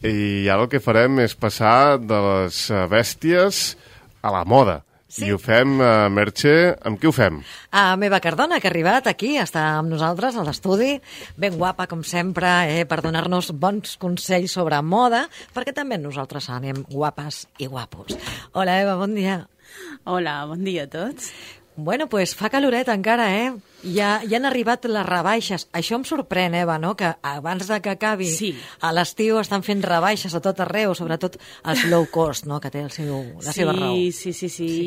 i ara el que farem és passar de les bèsties a la moda. Sí. I ho fem, Merche, amb qui ho fem? A Meva Cardona, que ha arribat aquí, està amb nosaltres a l'estudi, ben guapa, com sempre, per donar-nos bons consells sobre moda, perquè també nosaltres anem guapes i guapos. Hola, Eva, bon dia. Hola, bon dia a tots. Bueno, pues fa caloret encara, Ja han arribat les rebaixes. Això em sorprèn, Eva, no?, que abans de que acabi a l'estiu estan fent rebaixes a tot arreu, sobretot els low cost, no?, que té la seva raó. Sí.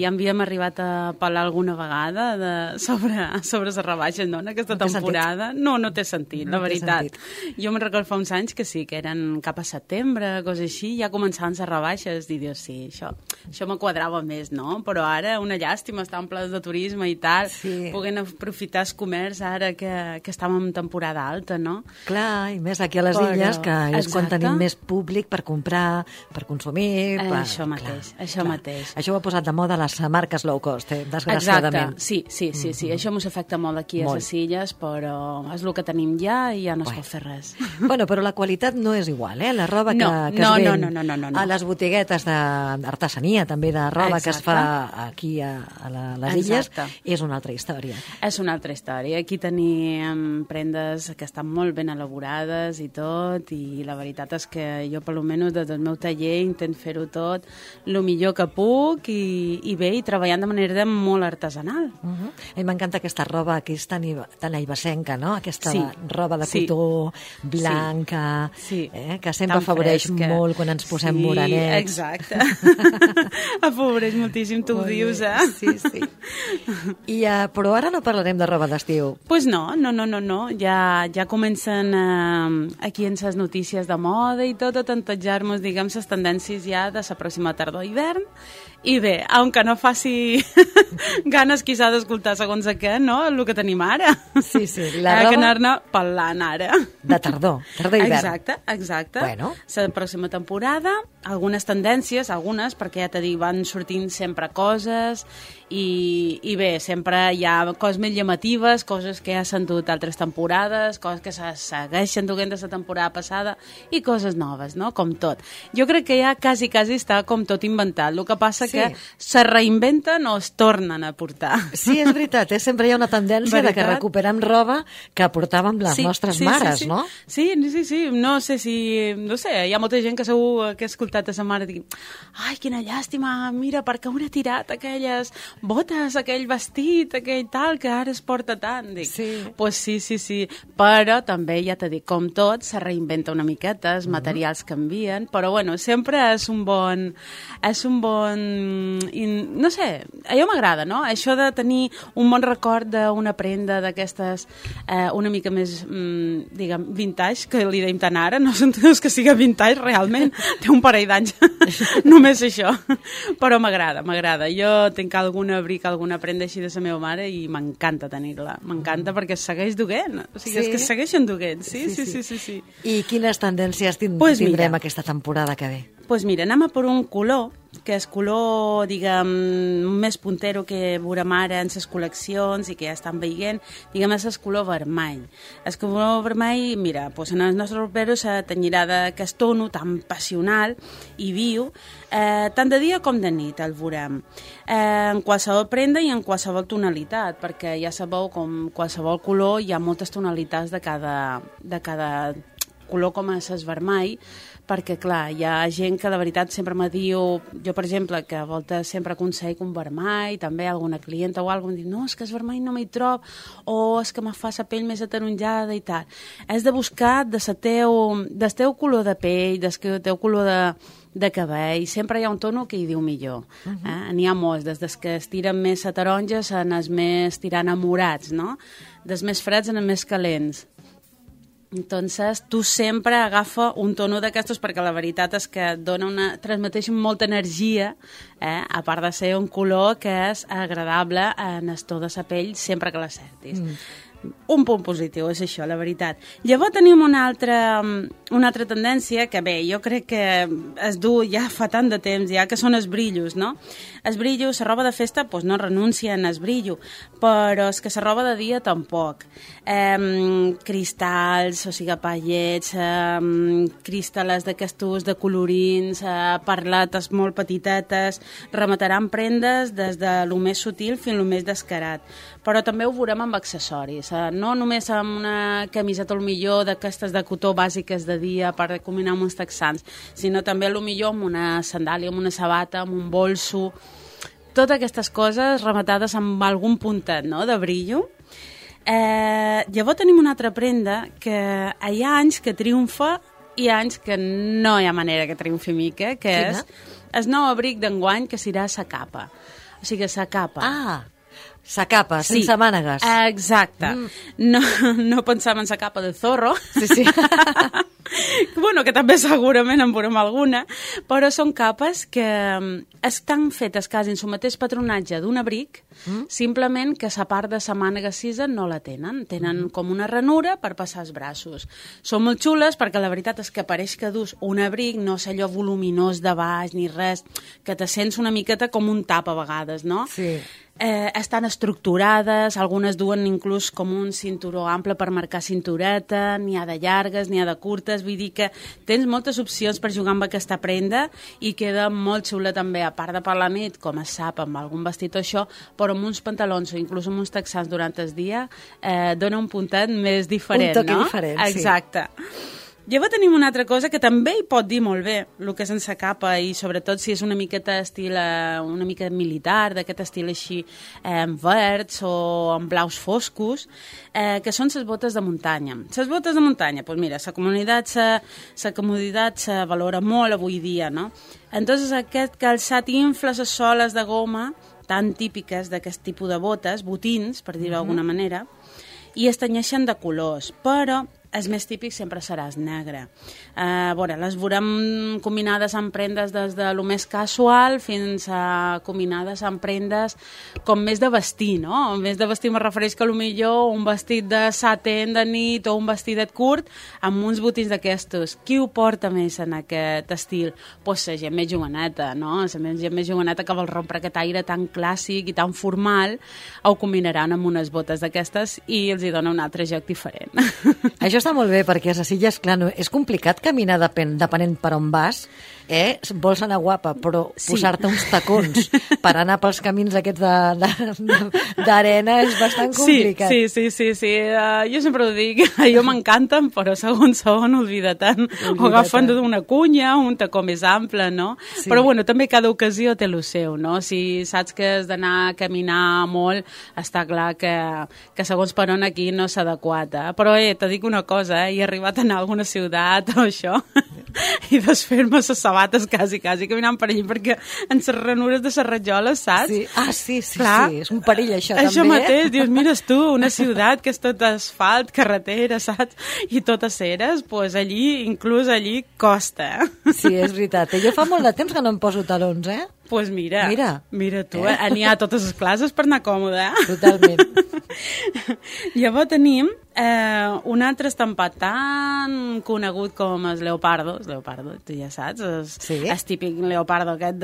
Ja havíem arribat a parlar alguna vegada sobre les rebaixes, no?, en aquesta temporada. No té sentit, la veritat. Jo me'n recordo fa uns anys que sí, que eren cap a setembre, coses així, ja començaven les rebaixes, i dius, sí, això me quadrava més, no? Però ara una llàstima estar en plans de turisme i tal, puguem aprofitar el comerç ara que estàvem en temporada alta, no? Clar, i més aquí a les illes, que és quan tenim més públic per comprar, per consumir... Això mateix. Això ho ha posat de moda les marques low cost, desgraciadament. Exacte, sí. Això ens afecta molt aquí a les illes, però és el que tenim ja i ja no es pot fer res. Bueno, però la qualitat no és igual, La roba que es ven a les botiguetes d'artesania, també de roba que es fa aquí a les illes, és una altra història. És una altra història. Aquí tenim prendes que estan molt ben elaborades i tot, i la veritat és que jo, per almenys, des del meu taller intent fer-ho tot el millor que puc i bé, i treballant de manera molt artesanal. A mi m'encanta aquesta roba que és tan aibasenca, no? Aquesta roba de cotó blanca, que sempre afavoreix molt quan ens posem morenets. Exacte. Afavoreix moltíssim, tu ho dius, Sí. Però ara no parlarem de roba d'estiu. Pues no. Ja comencen aquí en les notícies de moda i tot a tantejar-nos, diguem, les tendències ja de la pròxima tardor-hivern. I bé, aunque no faci ganes quizà d'escoltar segons què, no?, el que tenim ara. Sí, la roba... que anar-ne parlant ara. De tardor-hivern. Exacte. Bueno. La pròxima temporada, algunes tendències, perquè ja t'he dit, van sortint sempre coses i bé, sempre hi ha coses més llamatives, coses que ja s'han dut altres temporades, coses que se segueixen duent de la temporada passada i coses noves, no?, com tot. Jo crec que ja quasi està com tot inventat. El que passa que se reinventen o es tornen a portar. Sí, és veritat, sempre hi ha una tendència de que recuperem roba que portàvem les nostres mares, no? Sí, no sé, hi ha molta gent que segur que ha escoltat a sa mare dir, ai, quina llàstima, mira, per què haurà tirat aquelles botes, aquell vestit, aquell tal, que ara es porta tant. Dic, pues sí, però també, ja t'he dit, com tot, se reinventa una miqueta, els materials canvien, però bueno, sempre és un bon... no sé, allò m'agrada, no? Això de tenir un bon record d'una prenda d'aquestes una mica més, diguem, vintage, que li deim tant ara, no són que siga vintage realment, té un parell d'anys, només això, però m'agrada. Jo tinc algun abric, alguna prenda així de la meva mare i m'encanta tenir-la, m'encanta perquè es segueix duent, o sigui, és que es segueixen duent, sí. I quines tendències tindrem aquesta temporada que ve? Doncs mira, anem a per un color, que és color, diguem, més puntero que veurem ara en les col·leccions i que ja estan veient, diguem, és el color vermell. El color vermell, mira, doncs en els nostres rouperos se tenyirà d'aquest tono tan passional i viu, tant de dia com de nit el veurem. En qualsevol prenda i en qualsevol tonalitat, perquè ja sabeu, com qualsevol color, hi ha moltes tonalitats de cada color com és el vermell, perquè, clar, hi ha gent que de veritat sempre me diu, jo, per exemple, que a voltes sempre aconsello un vermell, també alguna clienta o alguna cosa, em diu, no, és que el vermell no m'hi trob, o és que me fa la pell més ataronjada i tal. Has de buscar del teu color de pell, del teu color de cabell, sempre hi ha un tono que hi diu millor. N'hi ha molts, des que es tiren més a taronges en els més tirant a morats, no? Dels més freds en els més calents. Entonces, tu sempre agafa un tono d'aquestos perquè la veritat és que transmeteix molta energia, a part de ser un color que és agradable en el to de la pell sempre que l'acertis. un punt positiu, és això, la veritat. Llavors tenim una altra tendència que, bé, jo crec que es du ja fa tant de temps, ja que són els brillos, no? Els brillos, la roba de festa, doncs no renuncien al brillo, però és que la roba de dia tampoc. Cristalls, o sigui, pallets, cristal·les d'aquestos de colorins, perletes molt petitetes, remataran prendes des de lo més sutil fins a lo més descarat. Però també ho veurem amb accessoris, no només amb una camiseta al millor d'aquestes de cotó bàsiques de dia per combinar amb uns texans, sinó també a lo millor amb una sandàlia, amb una sabata, amb un bolso, totes aquestes coses rematades amb algun puntet, no?, de brillo. Llavors tenim una altra prenda que hi ha anys que triomfa i anys que no hi ha manera que triomfi mica, que és el nou abric d'enguany, que serà sa capa. O sigui, sa capa. Sa capa, sense mànegues. Exacte. No pensàvem en sa capa de zorro. Sí. Bueno, que també segurament en veurem alguna, però són capes que estan fetes quasi en el mateix patronatge d'un abric, simplement que la part de la mànega cisa no la tenen. Tenen com una ranura per passar els braços. Són molt xules perquè la veritat és que pareix que dus un abric, no és allò voluminós de baix ni res, que te sents una miqueta com un tap a vegades, no? Sí. Estan estructurades, algunes duen inclús com un cinturó ample per marcar cintureta, n'hi ha de llargues, n'hi ha de curtes, vull dir que tens moltes opcions per jugar amb aquesta prenda i queda molt xula també, a part de per la nit, com es sap, amb algun vestit o això, però amb uns pantalons o inclús amb uns texans durant el dia dona un puntet més diferent, un toque diferent, sí. Exacte. Llavors tenim una altra cosa que també hi pot dir molt bé, el que és sense capa, i sobretot si és una miqueta estil, una mica militar, d'aquest estil així verds o amb blaus foscos, que són les botes de muntanya. Les botes de muntanya, doncs mira, la comoditat se valora molt avui dia, no? Entonces aquest calçat infla les soles de goma tan típiques d'aquest tipus de botes, botins, per dir-ho d'alguna manera, i es tenyeixen de colors, però el més típic sempre serà el negre. Les veurem combinades amb prendes des de lo més casual fins a combinades amb prendes com més de vestir, no? Més de vestir me refereix que potser un vestit de satin de nit o un vestidet curt amb uns botins d'aquestos. Qui ho porta més en aquest estil? Doncs la gent més joveneta, no? La gent més joveneta que vol rompre aquest aire tan clàssic i tan formal, ho combinaran amb unes botes d'aquestes i els hi dona un altre joc diferent. Això està molt bé, perquè a les illes, clar, és complicat caminar depenent per on vas, vols anar guapa, però posar-te uns tacons per anar pels camins aquests d'arena és bastant complicat. Sí. Jo sempre ho dic, jo m'encanten, però segons olvida-te'n. O agafen d'una cunya, un tacó més ample, no? Sí. Però bueno, també cada ocasió té el seu, no? Si saps que has d'anar a caminar molt, està clar que segons per on aquí no s'ha adequat, Però te dic una cosa, he arribat a anar a alguna ciutat o això i desfer-me les sabates quasi caminant per allí, perquè en les ranures de les rajoles, saps? Sí. Clar, sí, és un perill això també. Això mateix, dius, mires tu, una ciutat que és tot asfalt, carretera, saps? I totes ceres, doncs inclús allí costa. Sí, és veritat. Jo fa molt de temps que no em poso talons, Doncs mira tu, n'hi ha totes les classes per anar còmode. Totalment. Llavors tenim un altre estampat tan conegut com el leopardo, tu ja saps, el típic leopardo aquest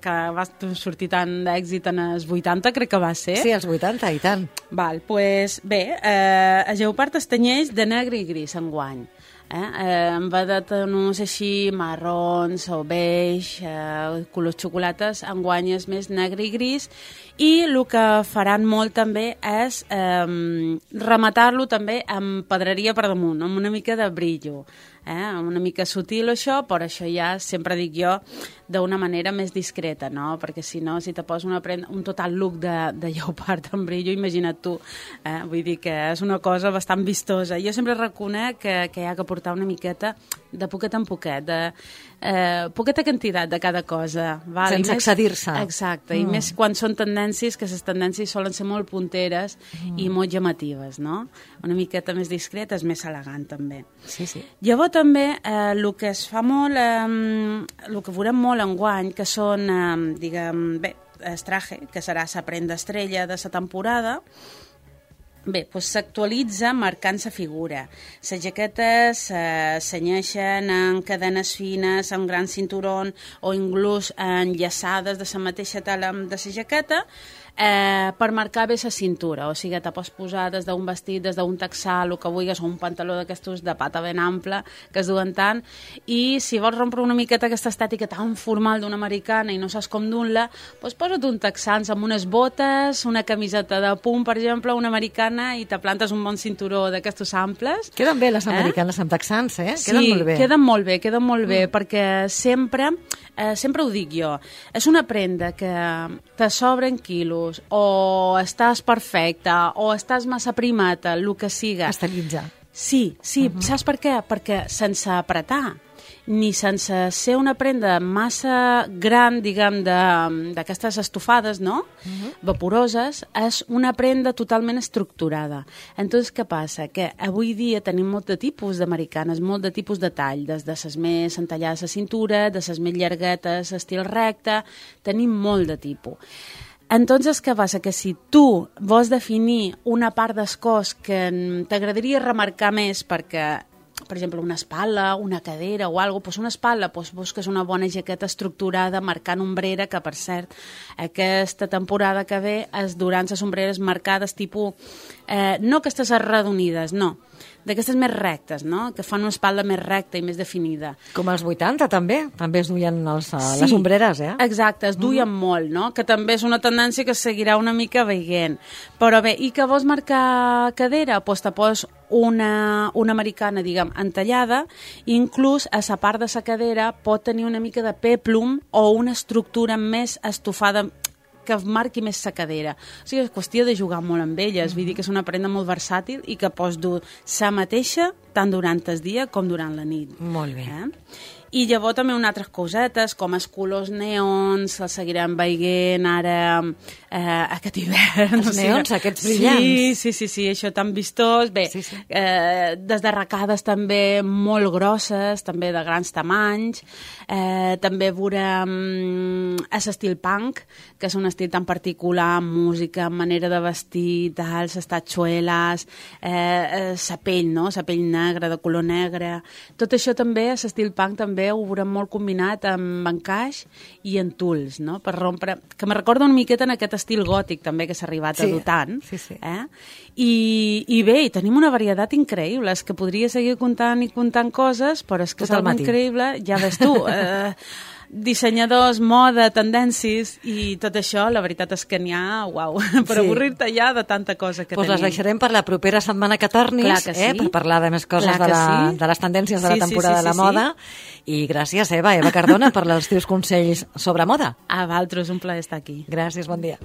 que va sortir tant d'èxit en els 80, crec que va ser. Sí, els 80, i tant. Doncs bé, el leopard es tenyeix de negre i gris enguany. En va de tons així marrons o beix, colors xocolates, enguany és més negre i gris, i el que faran molt també és rematar-lo també amb pedreria per damunt, amb una mica de brillo, una mica sutil això, però això ja sempre dic jo d'una manera més discreta, no? Perquè si no, si te poses un total look de lleopard amb brillo, imagina't tu, vull dir que és una cosa bastant vistosa. Jo sempre reconec que hi ha que portar una miqueta de poquet en poquet, de poqueta quantitat de cada cosa. Val? Sense excedir-se. Exacte, i més quan són tendències, que les tendències solen ser molt punteres i molt llamatives, no? Una miqueta més discreta és més elegant, també. Sí. Llavors també el que es fa molt, el que veurem molt enguany, que són, diguem, el traje, que serà la prenda estrella de la temporada, Bé, doncs s'actualitza marcant la figura. Les jaquetes s'anyeixen en cadenes fines, amb gran cinturó o inclús enllaçades de la mateixa tela de la jaqueta, per marcar bé la cintura, o sigui, te pots posar des d'un vestit, des d'un texà, el que vulguis, o un pantaló d'aquestos de pata ben ample, que es duen tant, i si vols rompre una miqueta aquesta estètica tan formal d'una americana i no saps com dur-la, doncs posa't un texans amb unes botes, una camiseta de punt, per exemple, una americana, i te plantes un bon cinturó d'aquestos amples. Queden bé les americanes amb texans, eh? Sí, queden molt bé. Queden molt bé, perquè sempre ho dic jo, és una prenda que te sobren quilos, o estàs perfecta, o estàs massa primata, el que siga. Estilitza. Sí, saps per què? Perquè sense apretar, ni sense ser una prenda massa gran, diguem, d'aquestes estofades, no? Vaporoses, és una prenda totalment estructurada. Entonces, què passa? Que avui dia tenim molt de tipus d'americanes, molt de tipus de tall, des de les més entallades a cintura, de les més llarguetes, estil recte, tenim molt de tipus. Entonces, què passa? Que si tu vols definir una part del cos que t'agradaria remarcar més perquè, per exemple, una espatlla, una cadera o alguna cosa, doncs una espatlla, doncs busques una bona jaqueta estructurada marcant ombrera, que per cert, aquesta temporada que ve es duran les ombreres marcades tipus, no aquestes arredonides, no, d'aquestes més rectes, no? Que fan una espatlla més recta i més definida. Com als 80 també es duien les ombreres, eh? Exacte, es duien molt, no? Que també és una tendència que seguirà una mica veient. Però bé, i que vols marcar cadera? Doncs te poses una americana, diguem, entallada, i inclús a la part de la cadera pot tenir una mica de peplum o una estructura més estofada que marqui més la cadera. O sigui, és qüestió de jugar molt amb elles. Vull dir que és una prenda molt versàtil i que pots dur la mateixa tant durant el dia com durant la nit. Molt bé. I llavors també unes altres cosetes, com els colors neons, els seguirem veient ara aquest hivern. Els neons, aquests brillants. Sí, això tan vistós. Bé, des d'arracades també molt grosses, també de grans tamanys. També veurem l'estil punk, que és un estil tan particular, amb música, amb manera de vestir, les tatxueles, la pell, no? La pell negra, de color negre. Tot això també, l'estil punk també ho veurem molt combinat amb encaix i en tuls, no? Per rompre, que me recorda una miqueta en aquest estil gòtic també que s'ha arribat a dur tant. Sí. I bé, i tenim una varietat increïble, és que podria seguir contant coses, però és que és algo increïble, ja ves tu, dissenyadors, moda, tendències i tot això, la veritat és que n'hi ha, uau, per avorrir-te ja de tanta cosa que tenim. Les deixarem per la propera setmana que tornis, per parlar de més coses de les tendències de la temporada de la moda. I gràcies, Eva Cardona, per els teus consells sobre moda. A vosaltres, un plaer estar aquí. Gràcies, bon dia.